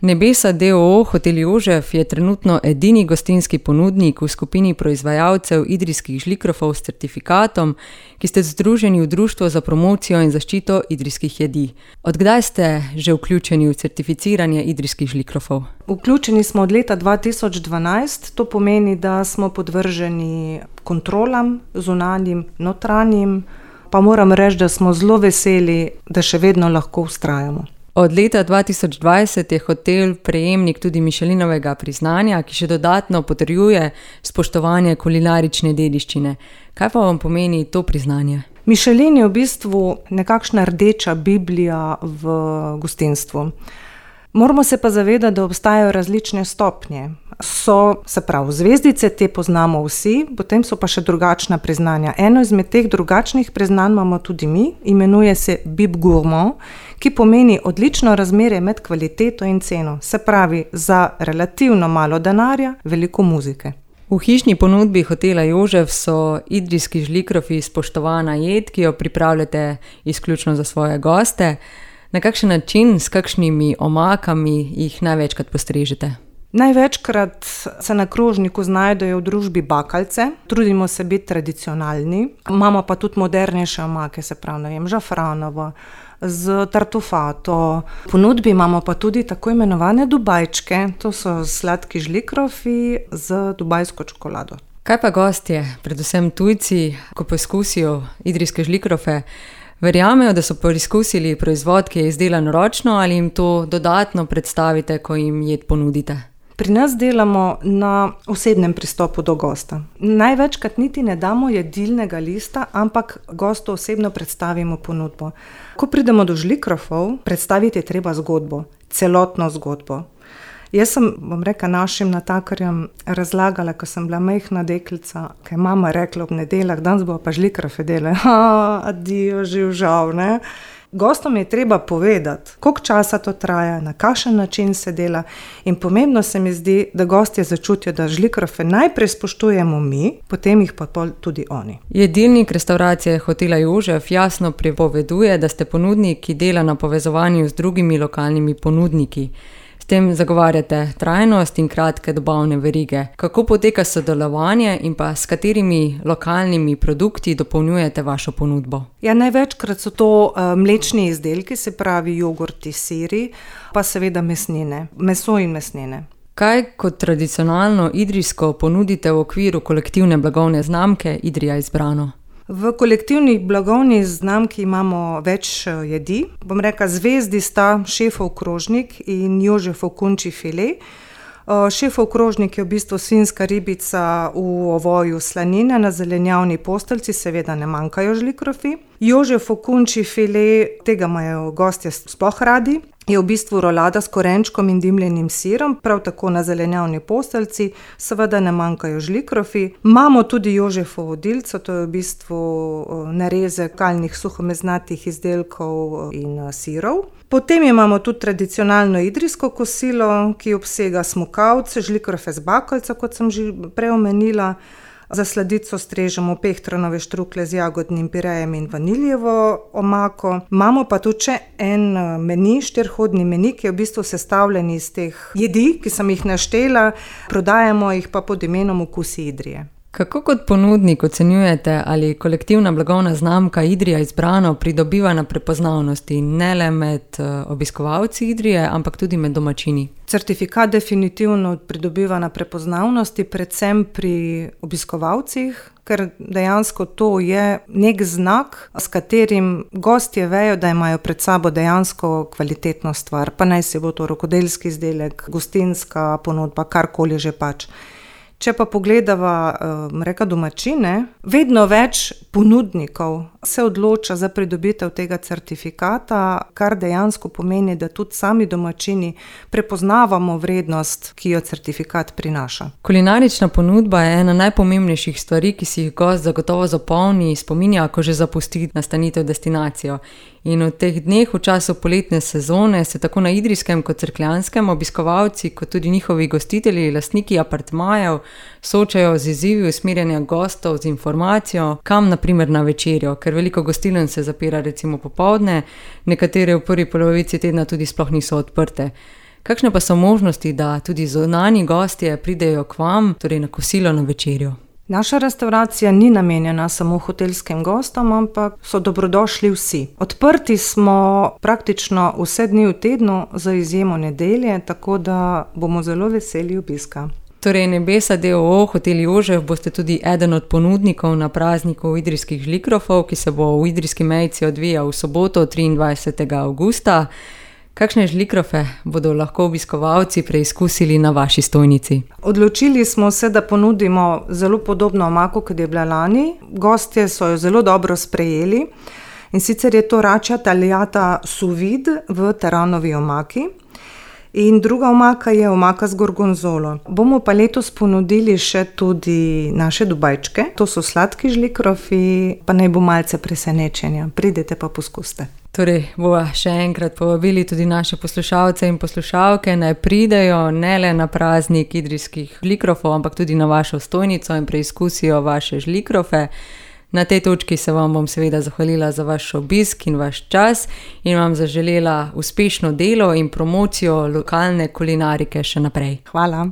Nebesa d.o.o. Hotel Jožef je trenutno edini gostinski ponudnik v skupini proizvajalcev idrijskih žlikrofov s certifikatom, ki ste združeni v Društvo za promocijo in zaščito idrijskih jedi. Od kdaj ste že vključeni v certificiranje idrijskih žlikrofov? Vključeni smo od leta 2012, to pomeni, da smo podvrženi kontrolam, zunanjim, notranjim, pa moram reči, da smo zelo veseli, da še vedno lahko vztrajamo. Od leta 2020 je hotel prejemnik tudi Michelinovega priznanja, ki še dodatno potrjuje spoštovanje kulinarične dediščine. Kaj pa vam pomeni to priznanje? Michelin je v bistvu nekakšna rdeča biblija v gostinstvu. Moramo se pa zavedati, da obstajajo različne stopnje. So, se pravi, zvezdice, te poznamo vsi, potem so pa še drugačna priznanja. Eno izmed teh drugačnih priznanj imamo tudi mi, imenuje se Bib Gourmand, ki pomeni odlično razmerje med kvaliteto in ceno. Se pravi, za relativno malo denarja, veliko muzike. V hišni ponudbi hotela Jožef so idrijski žlikrofi spoštovana jed, ki jo pripravljate izključno za svoje goste. Na kakšen način, s kakšnimi omakami jih največkrat postrežete? Največkrat se na krožniku znajdejo v družbi bakalce, trudimo se biti tradicionalni, imamo pa tudi modernejše omake, se pravi, žafranovo, z tartufato. V ponudbi imamo pa tudi tako imenovane dubajčke, to so sladki žlikrofi z dubajsko čokolado. Kaj pa gostje, predvsem tujci, ko poskusijo idrijske žlikrofe, verjamejo, da so preizkusili proizvod, ki je izdelan ročno, ali jim to dodatno predstavite, ko jim jed ponudite? Pri nas delamo na osebnem pristopu do gosta. Največkrat niti ne damo jedilnega lista, ampak gostu osebno predstavimo ponudbo. Ko pridemo do žlikrofov, predstaviti je treba zgodbo, celotno zgodbo. Jaz sem, našim natakarjem razlagala, ko sem bila majhna deklica, kaj je mama rekla ob nedeljah, danes bo pa žlikrofe delali. Adijo, žal, ne? Gostom je treba povedati, koliko časa to traja, na kakšen način se dela, in pomembno se mi zdi, da gostje začutijo, da žlikrofe najprej spoštujemo mi, potem jih pa tudi oni. Jedilnik restauracije hotela Jožef jasno prepoveduje, da ste ponudnik, ki dela na povezovanju z drugimi lokalnimi ponudniki. S tem zagovarjate trajnost in kratke dobavne verige. Kako poteka sodelovanje in pa s katerimi lokalnimi produkti dopolnjujete vašo ponudbo? Ja, največkrat so to mlečni izdelki, se pravi jogurti, siri, pa seveda mesnine, meso in mesnine. Kaj kot tradicionalno idrijsko ponudite v okviru kolektivne blagovne znamke Idrija izbrano? V kolektivni blagovni znamki imamo več jedi. Zvezdi sta šefov krožnik in Jožefov kunčji file. Šefov krožnik je v bistvu svinjska ribica v ovoju slanine na zelenjavni posteljci, seveda ne manjkajo žlikrofi. Jožefov kunčji file, tega imajo gostje sploh radi, je v bistvu rolada s korenčkom in dimljenim sirom, prav tako na zelenjavni posteljci, seveda ne manjkajo žlikrofi. Imamo tudi Jožefovo dilco, to je v bistvu narezek kalnih suhomeznatih izdelkov in sirov. Potem imamo tudi tradicionalno idrijsko kosilo, ki obsega smokavce, žlikrofe z bakalca, kot sem že prej omenila. Za sladico strežemo pehtranove štrukle z jagodnim pirejem in vaniljevo omako. Imamo pa tudi še en meni, 4-hodni meni, ki je v bistvu sestavljen iz teh jedi, ki sem jih naštela, prodajamo jih pa pod imenom Okusi Idrije. Kako kot ponudnik ocenjujete, ali kolektivna blagovna znamka Idrija izbrano pridobiva na prepoznavnosti ne le med obiskovalci Idrije, ampak tudi med domačini? Certifikat definitivno pridobiva na prepoznavnosti, predvsem pri obiskovalcih, ker dejansko to je nek znak, s katerim gostje vejo, da imajo pred sabo dejansko kvalitetno stvar, pa naj si bo to rokodelski izdelek, gostinska ponudba, karkoli že pač. Če pa pogledava domačine, vedno več ponudnikov se odloča za pridobitev tega certifikata, kar dejansko pomeni, da tudi sami domačini prepoznavamo vrednost, ki jo certifikat prinaša. Kulinarična ponudba je ena najpomembnejših stvari, ki si jih gost zagotovo zapomni, spominja, ko že zapusti nastanitev destinacijo. In v teh dneh, v času poletne sezone, se tako na idrijskem kot cerkljanskem obiskovalci, kot tudi njihovi gostitelji, lastniki apartmajev, soočajo z izzivi usmerjanja gostov z informacijo, kam na primer na večerjo, ker veliko gostiln se zapira recimo popoldne, nekatere v prvi polovici tedna tudi sploh niso odprte. Kakšne pa so možnosti, da tudi zunanji gostje pridejo k vam, torej na kosilo, na večerjo? Naša restavracija ni namenjena samo hotelskim gostom, ampak so dobrodošli vsi. Odprti smo praktično vse dni v tednu, za izjemo nedelje, tako da bomo zelo veseli obiska. Torej, Nebesa d.o.o. Hotel Jožef boste tudi eden od ponudnikov na prazniku idrijskih žlikrofov, ki se bo v Idrijski Mejci odvijal v soboto 23. avgusta. Kakšne žlikrofe bodo lahko obiskovalci preizkusili na vaši stojnici? Odločili smo se, da ponudimo zelo podobno omako, kot je bila lani. Gostje so jo zelo dobro sprejeli, in sicer je to račja tagliata sous vide v teranovi omaki. In druga omaka je omaka z gorgonzolo. Bomo pa letos ponudili še tudi naše dubajčke. To so sladki žlikrofi, pa naj bo malce presenečenja. Pridite pa poskusite. Torej, bova še enkrat povabili tudi naše poslušalce in poslušalke, naj pridejo ne le na praznik idrijskih žlikrofov, ampak tudi na vašo stojnico in preizkusijo vaše žlikrofe. Na tej točki se vam bom seveda zahvalila za vaš obisk in vaš čas in vam zaželela uspešno delo in promocijo lokalne kulinarike še naprej. Hvala.